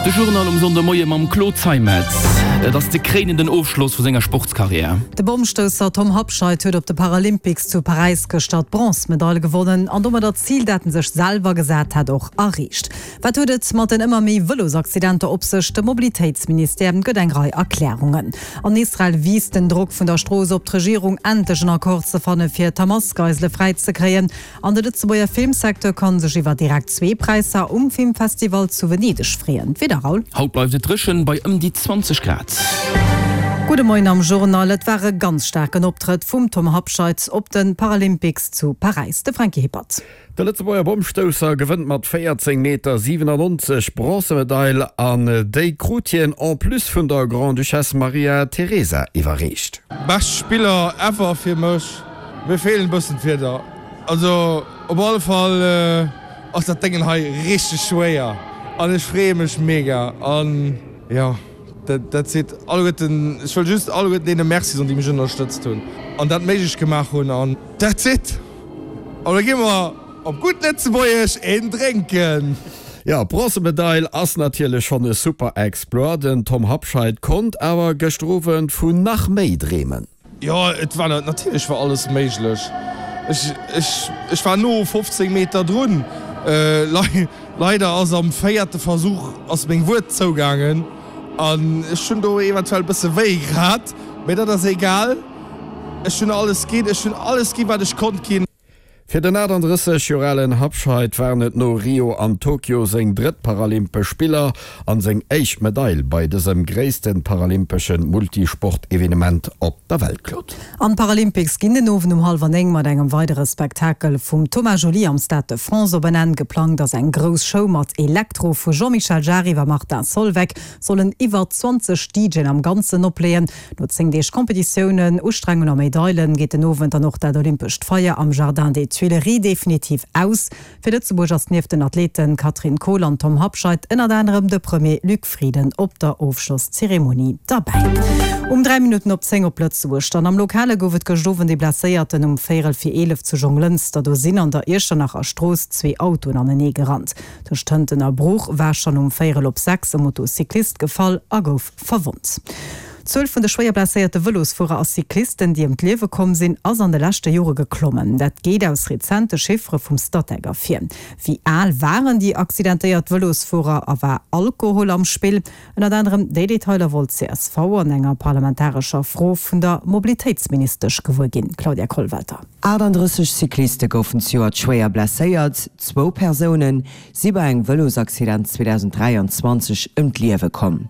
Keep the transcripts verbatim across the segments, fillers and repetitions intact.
De Journal um Sonndemoie mam Claude Zeimetz. Et ass de kréinenden Ofschloss vu senger Sportskarriär. De Bommstousser Tom Habscheid huet op de Paralympics zu Paräis gëschter d'Bronzmedail gewonnen an domadder d'Zil, dat en sech selwer gesat hat, och erreecht. Wat huet et mat den ëmmer méi Vëlosaccidenter op sech? De Mobilitéitsministère gëtt eng Rei Erklärungen. An Israel wiisst den Drock vun der Strooss op d'Regierung, endlech en Accord ze fanne fir d'Hamas-Geisele fräi ze kréien. An de Lëtzebuerger Filmsecteur kann sech iwwer direkt zwee Präisser um Filmfestival zu Venedeg freeën. D'Wieder, Raoul? Haut bleift et dréchen bei ëm déi zwanzeg Grad. Gudde Moien am Journal. Et war e ganz staarken Optrëtt vum Tom Habscheid op de Paralympics zu Paräis. De Franky Hippert. De Lëtzebuerger Bommstousser gewënnt mat véierzéng Meter siwenannonzeg d'Bronzemedail an déi krut hien en plus vun der Grande-Duchesse Maria Teresa iwwerreecht. Bescht Spiller ever fir mech. Mir feelen bëssen d'Wierder. Also op alle Fall ass dat Déngen hei richteg schwéier an ech freeë mech mega an jo dat seet alleguerten. Ech wëll just alleguerten deene Merci soen déi mech ënnerstëtzt hunn an dat méiglech gemaach hunn an that's it. An da gi mer op gutt Lëtzebuergesch een drénken. Jo, d'Bronzemedail ass natierlech schonn e super Exploit. Den Tom Habscheid konnt awer gëschter Owend vun nach méi dreemen. Jo, et war natierlech war alles méiglech. Ech, ech, ech war no fofzéng Meter drun. Leider ass am véierte Versuch ass meng Wued zougaangen an ech hunn do eventuell e bësse wéi gehat, mee dat ass egal. Ech hunn alles ginn, ech hunn alles ginn, wat ech konnt ginn. Fir den achtandrësseg Joer alen Habscheid waren et no Rio an Tokio seng drëtt Paralympesch Spiller an seng éischt Medail bei dësem gréisste paralympesche Multisport-Evenement op der Welt. Claude. An d'Paralympics ginn den Owend um hallwer néng mat engem weidere Spektakel vum Thomas Jolly am Stade de France op en Enn. Geplangt ass eng grouss Show mat Elektro vu Jean-Michel Jarre iwwer Martin Solveig sollen iwwer zwanzeg DJen am Ganzen opleeën. No zéng Deeg Competitiounen, Ustrengung a Medailen geet den Owend dann och dat olympescht Feier am Jardin des Tuileries definitiv aus. Fir Lëtzebuerg ass nieft den Athleten Katrin Kohl an Tom Habscheid ënnert anerem de Premier Luc Frieden op der Ofschlosszeremonie derbäi. Um dräi Minutten op zéng op Lëtzebuerg dann. Am Lokale gouf et gëscht Owend ee Blesséierten um véierel vir eelef zu Jonglënster. Do sinn an der Iechternacher Strooss zwee Autoen anenee gerannt. Tëscht Hënten a Bruch war schonn um véierel op sechs e Motocyclist gefall a gouf verwonnt. D'Zuel vun de schwéier blesséierte Vëlosfuerer a Cyclisten, déi ëm d'Liewe komm sinn, ass an de leschte Jore geklommen. Dat geet aus rezente Chiffere vum Statec ervir. Wéi al waren déi accidentéiert Vëlosfuerer a war Alkohol am Spill? Ënnert anerem déi Detailer wollt d'CSV an enger parlamentarescher Fro vun der Mobilitéitsministesch gewuer ginn. Claudia Kollwelter. Achtandrësseg Cycliste goufen zejoert schwéier blesséiert, zwou Persoune si bei engem Vëlosaccident zweedausenddräianzwanzeg ëm d'Liewe komm.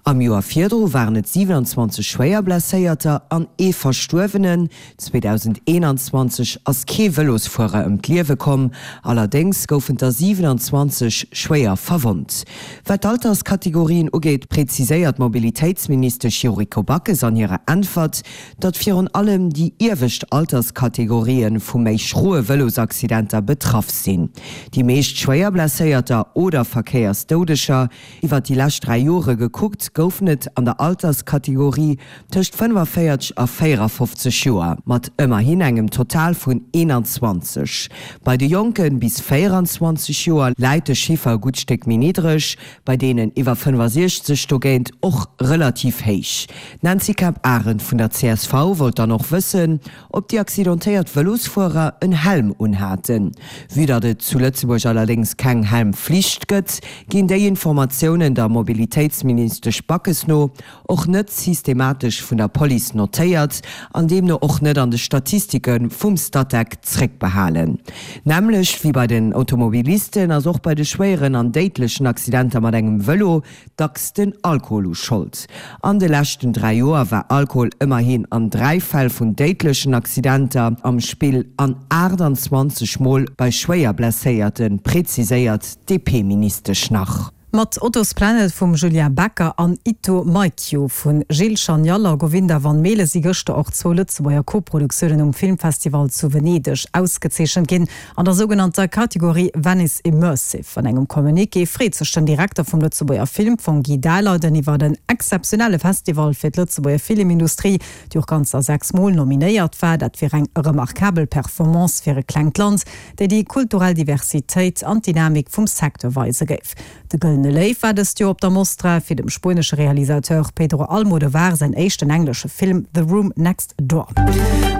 Am Joer virdru waren et siwenanzwanzeg schwéier Blesséierter an ee Verstuerwenen. zweedausendeenanzwanzeg ass kee Vëlosfuerer ëm d'Liewe komm, allerdéngs goufen der siwenanzwanzeg schwéier verwonnt. Wat d'Alterskategorien ugeet, preziséiert d'Mobilitéitsministesch Yuriko Backes an hirer Äntwert, datt virun allem déi iewescht Alterskategorië vu méi schroe Vëlosaccidenter betraff sinn. Déi meescht schwéier Blesséierter oder Verkéiersdoudeger iwwer déi lescht dräi Jore gekuckt, goufen et an der Alterskategorie tëscht fënnefaféierzeg a véierafofzeg Joer, mat ëmmerhin engem Total vun eenanzwanzeg. Bei de Jonke bis véieranzwanzeg Joer läit de Chiffer e gutt Stéck méi niddreg, bei deenen iwwer fënnefasiechzeg dogéint och relativ héich. D'Nancy Kemp-Arendt vun der C S V wollt dann och wëssen, ob déi accidentéiert Vëlosfuerer en Helm unhaten. Vue datt et zu Lëtzebuerg allerdéngs keng Helmflicht gëtt, ginn déi Informatiounen der Mobilitéitsministesch Backes no och net systematesch vun der Police notéiert an deemno och net an de Statistike vum Statec zréckbehalen. Nämmlecht wéi bei den Automobilisten ass och bei de schwéieren an déidlechen Accidenter mat engem Vëlo dacks den Alkohol u Schold. An de leschten dräi Joer war Alkohol ëmmerhin an dräi Fäll vun déidlechen Accidenter am Spill an aachtanzwanzeg Mol bei schwéier Blesséierten, preziséiert d'DP-Ministesch nach. Mat Otto's Planet vum Julien Becker an Ito Maikyo vu Gilles Chanial a Govinda Van Maele si gëschter och zwou Lëtzebuerger Koproduktiounen um Filmfestival zu Venedeg ausgezeechent ginn an der sougenannter Kategorie Venice Immersive. An engem Communiqué freet sech den Direkter vum Lëtzebuerger Filmfong Guy Daleiden iwwer en exzeptionelle Festival fir d'Lëtzebuerger Filmindustrie, déi och ganzer sechs Mol nominéiert war. Dat wier eng remarkabel Performance fir e klengt Land, déi déi kulturell Diversitéit an d'Dynamik vum Secteur weise géif. De Gëllene Goldene Léiw war dëst Joer op der Mostra fir dem spuenesche Realisateur Pedro Almodovar säin éischten englesche Film The Room Next Door.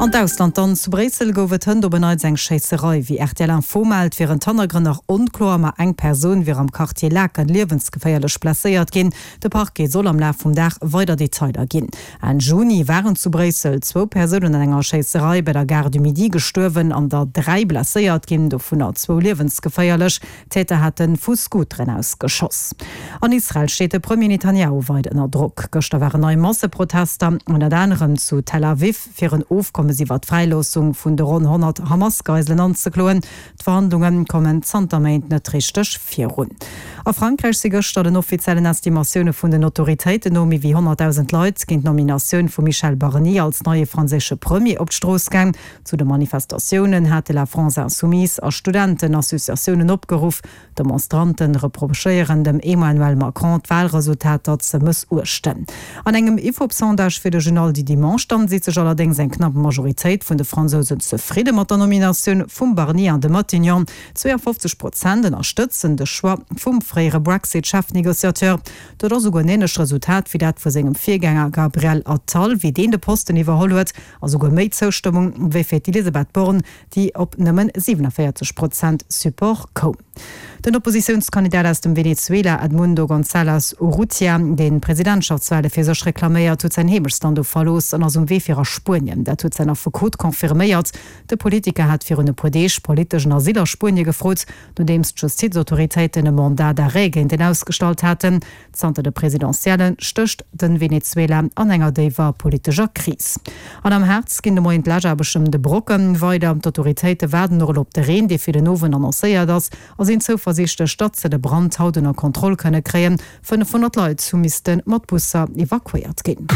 An d'Ausland dann, Zu Bréissel gouf et hënt op en Neits eng Schéisserei. Wéi rtl Info mellt, wieren d'Hannergrënn nach onkloer, ma eng Persoun wier am Quartier Laeken liewensgeféierlech blesséiert ginn. De Parquet soll am Laf vum Dag weider Detailer ginn. Enn Juni waren zu Bréissel zwou Persounen an enger Schéisserei bei der Gare du Midi gestuerwen an der dräi blesséiert ginn, dovunner zwou liewensgeféierlech. D'Täter hate vu Scooteren aus geschoss. An Israel steet de Premier Netanjahu weider ënner Drock. Gëschter waren nei Masseprotester, ënnert anerem zu Tel Aviv, fir en Ofkommes iwwer d'Fräiloossung vun de ronn honnert Hamas-Geiselen anzekloen. D'Verhandlunge kommen zanter Méint net richteg virun. A Frankräich si gëschter den offiziellen Estimatioune vun den Autoritéiten no méi wéi honnertdausend Leit géint d'Nominatioun vum Michel Barnier als neie franséische Premier op d'Strooss gaang. Zu de Manifestatiounen hate La France Insoumise a Studentenassociatiounen opgeruff. D'Demonstrante reprochéieren dem Emmanuel Macron, d'Walresultater ze mëssuechten. An engem Ifop-Sondage fir de Journal du Dimanche dann seet sech allerdéngs eng knapp Majoritéit vun de Fransousen zefridde mat der Nominatioun vum Barnier an de Matignon. zweeënfofzeg Prozent ënnerstëtzen de Choix vum fréiere Brexit-Chefnegociateur. Dat ass esouguer en änlecht Resultat wéi dat vu sengem Virgänger Gabriel Attal, wéi deen de Posten iwwerholl huet, a souguer méi Zoustëmmung wéi fir d'Elisabeth Borne, déi op nëmmen siwenavéierzeg Prozent Support koum. Den Oppositiounskandidat aus dem Venezuela, Edmundo González Urrutia, deen d'Presidentschaftswale fir sech reklaméiert, huet säin Heemechtsland do verlooss an ass um Wee fir a Spuenien. Dat huet säin Affekot confirméiert. De Politiker hat virun e puer Deeg politeschen Asyl a Spuenie gefrot, nodeems d'Justizautoritéiten e Mandat d'arrêt géint en ausgestallt haten. Zanter de Presidentielle stécht de Venezuela an enger déiwer politescher Kris. An am Harz ginn de Moien d'Läschaarbechten ëm de Brocken weider. D'Autoritéite waarden och elo op de Reen, dee fir den Owend annoncéiert ass, a sinn zouversiichtlech, datt se de Brand haut ënner Kontroll kënne kréien. fënnefhonnert Leit hu misste mat Busser evakuéiert ginn.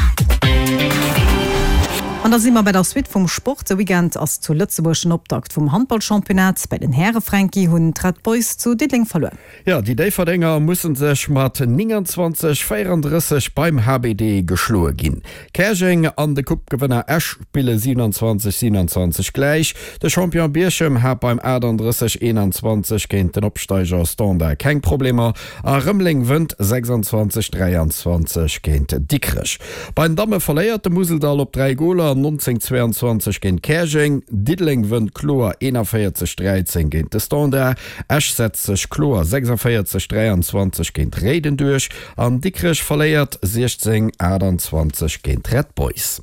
An da si mer bei der Suite vum Sport. De Weekend ass zu Lëtzebuerg den Optakt vum Handballchampionnat. Bei den Häre, Franky, hunn d'Red Boys zu Diddeleng verluer. Jo, déi Déifferdenger musse sech mat nénganzwanzeg, véierandrësseg beim H B D geschloe ginn. Käerjeng an de Coupe-Gewënner Esch spille siewenanzwanzeg, siewenanzwanzeg gläich. De Champion Bierchem hat beim aachtanddrësseg, eenanzwanzeg géint den Opsteiger Standard keng Problemer a Rëmeleng wënnt sechsandzwanzeg, dräianzwanzeg géint Dikrech. Bei den Damme verléiert de Museldall op dräi Goler, nonzéng, zweiandzwanzeg géint Käerjeng. Diddeleng wënnt kloer eenavéierzeg, dräizéng géint de Standard. Esch setzt sech kloer sechsavéierzeg, dräiandzwanzeg géint Réiden duerch an Dikrech verléiert siechzéng, aachtandzwanzeg géint d'Red Boys.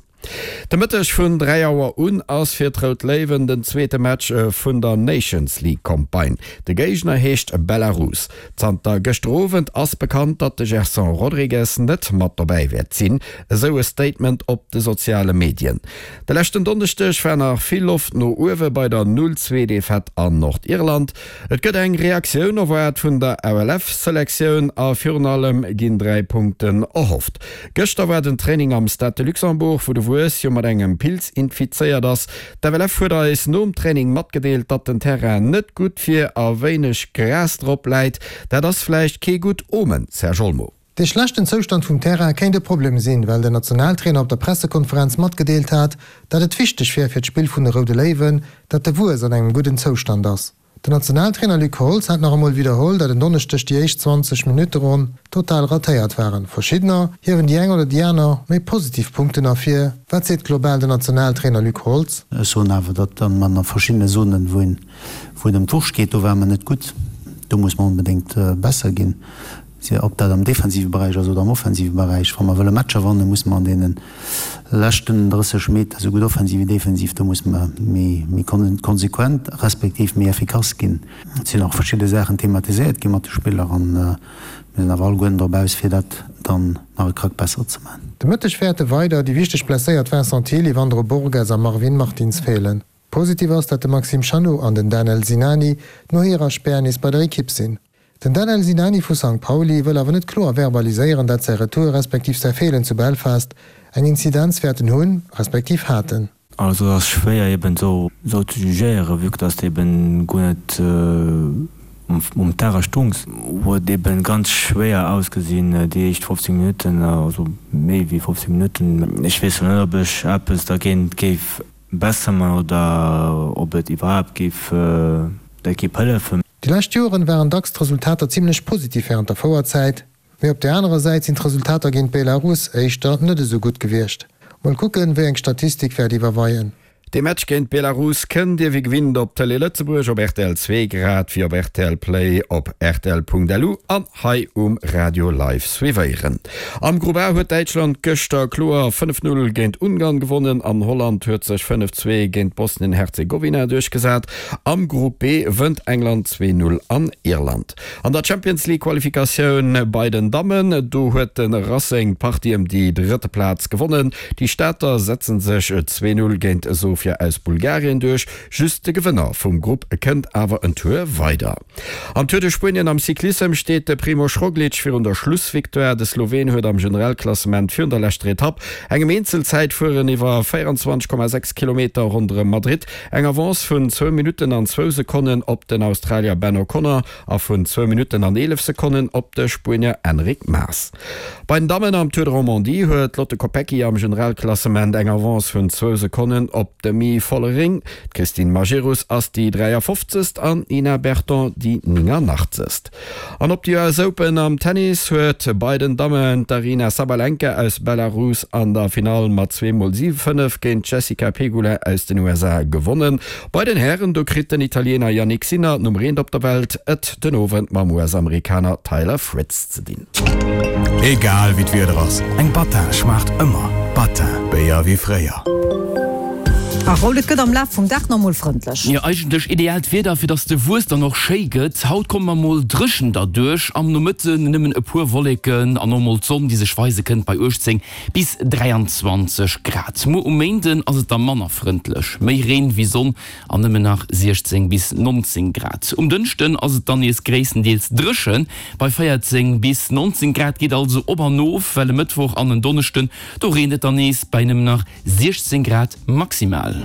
De Mëtteg vun dräi Auer un ass fir d'Rout Léiwen den zweete Match vun der Nations League Campagne. De Géigner heescht Belarus. Zanter gëschter Owend ass bekannt, datt de Gerson Rodrigues net mat dobäi wäert sinn, esou e Statement op de soziale Medien. De leschten Donneschdeg war nach vill Loft no uewe bei der Null zwee Defaite an Nordirland. Et gëtt eng Reaktioun erwaart vun der L F-Selektioun a virun allem ginn dräi Punkten erhofft. Gëschter war den Training am Stade de Luxembourg, wou de Wues jo mat engem Pilz infizéiert ass. D'F L F huet eis nom Training matgedeelt, datt den Terrain net gutt wier a wéineg Gras drop läit. Dat ass vläicht kee gutt Omen, Serge Olmo. De schlechten Zoustand vum Terrain kéint e Problem sinn, well den Nationaltrainer op der Pressekonferenz matgedeelt hat, datt et wichteg wier fir d'Spill vun de Roude Léiwen, datt de Wues an engem gudden Zoustand ass. Den Nationaltrainer Luc Holtz hat nach emol widderholl, datt en Donneschdeg déi éischt zwanzeg Minutte ronn total ratéiert waren. Verschiddener hiewen déi eng oder déi aner méi positiv Punkten ervir. Wat seet global den Nationaltrainer Luc Holtz? Ech soen awer, datt mer a verschiddene Zonen, wou een, wou et ëm d'Wurscht geet, do ware mer net gutt. Do muss mer onbedéngt besser ginn. Ob dat am defensive Beräich ass oder am offensive Beräich. Wa mer wëlle Matcher wannen, musse mer an deene leschten drësseg Meter, esou gutt offensiv wéi defensiv, do musse mer méi konsequent respektiv méi effikass ginn. Et sinn och verschidde Saachen thematiséiert gi mat de Spiller a mir sinn awer alleguerten drop aus, fir dat dann nach e Krack besser ze maachen. De Mëtteg wäerte weider déi wichteg blesséiert Vincent Thill, Yvandro Borges a Marvin Martins feelen. Positiv ass, datt de Maxime Chanot an den Danel Sinani no hirer Spär nees bei der Ekipp sinn. Den Danel Sinani vu Sankt Pauli wëll awer net kloer verbaliséieren, dat säi Retour respektiv säi Feelen zu Belfast eng Inzidenz wäerten hunn, respektiv haten. Also ass schwéier eben sou sou ze jugéieren, vue que dass de eben guer net um Terrain stungs. Huet eben ganz schwéier ausgesinn déi éischt fofzéng Minutten, also méi wéi fofzéng Minutten. Ech weess lo net ob ech eppes dergéint géif besser man oder ob et iwwerhaapt géif der Ekipp hëllefen. Déi lescht Joren waren dacks d'Resultater zimmlech positiv wärend der Fouerzäit, mee op der anerer Säit sinn d'Resultater géint Belarus éischter net esou gutt gewiescht. Mol kucken, wéi eng Statistik wäert iwwerweien. De Match géint Belarus kënnt Dir wéi gewinnt op Tëlee Lëtzebuerg, op rtl zwee grad wéi op rtl Play, op rtl.lu an hei um Radio live suivéieren. Am Grupp A huet Däitschland gëschter kloer fënnef Null géint Ungarn gewonnen an Holland huet sech fënnef Zwee géint Bosnien-Herzegowina duerchgesat. Am Grupp B wënnt England zwee Null an Irland. An der Champions League Qualifikatioun bei den Dammen, do huet de Racing d'Partie ëm déi drëtte Plaz gewonnen. Déi Stater setze sech zwee Null géint Sofia aus Bulgarien duerch. Just de Gewënner vum Grupp kënnt awer en Tour weider. Am Tour de Spuenien am Cyclissem steet de Primož Roglič virun der Schlussvictoire. De Sloween huet am Generalklassement virun der leschter Etapp, engem Eenzelzäitfueren iwwer véierundzwanzeg Komma sechs Kilometer ronderëm Madrid, eng Avance vun zwou Minutten an zwou Sekonnen op den Australier Ben O'Connor a vun zwou Minutten an eelef Sekonnen op de Spuenier Enric Mas. Bei den Dammen am Tour de Romandie huet d'Lotte Kopecky am Generalklassement eng Avance vun zwou Sekonnen op d'Demi Vollering. D'Christine Majerus ass déi dräiafofzegst an d'Nina Berton déi nénganachtzegscht. An op de U S Open am Tennis huet bei den Dammen d'Aryna Sabalenka aus Belarus an der Finall mat zwee mol siwe fënnef géint d'Jessica Pegula aus den U S A gewonnen. Bei den Hären, do kritt den Italiener Jannik Sinner, Nummer eent op der Welt, et den Owend mam U S-Amerikaner Taylor Fritz ze dinn. Egal wéi d'Wieder ass, eng Battin schmaacht ëmmer. Battin, Béier wéi fréier. A Raoul, et gëtt am Laf vum Dag nach mol frëndlech. Jo, eigentlech ideaalt Wieder, fir dass de Wues dann och schéi gëtt. Haut komme mer mol dréchen derduerch, am Nomëtten nëmmen e puer Wolleken an och mol d'Sonn, déi sech weise kënnt bei uechtzéng bis dräianzwanzeg Grad. Muer um Méinden ass et da manner frëndlech, méi Reen wéi Sonn an nëmmen nach siechzéng bis nonzéng Grad. Um Dënschden ass et dann nees gréisstendeels dréchen bei véierzéng bis nonzéng Grad, geet also op an of, well e Mëttwoch an en Donneschden, do reent et dann nees bei nëmmen nach siechzéng Grad maximal.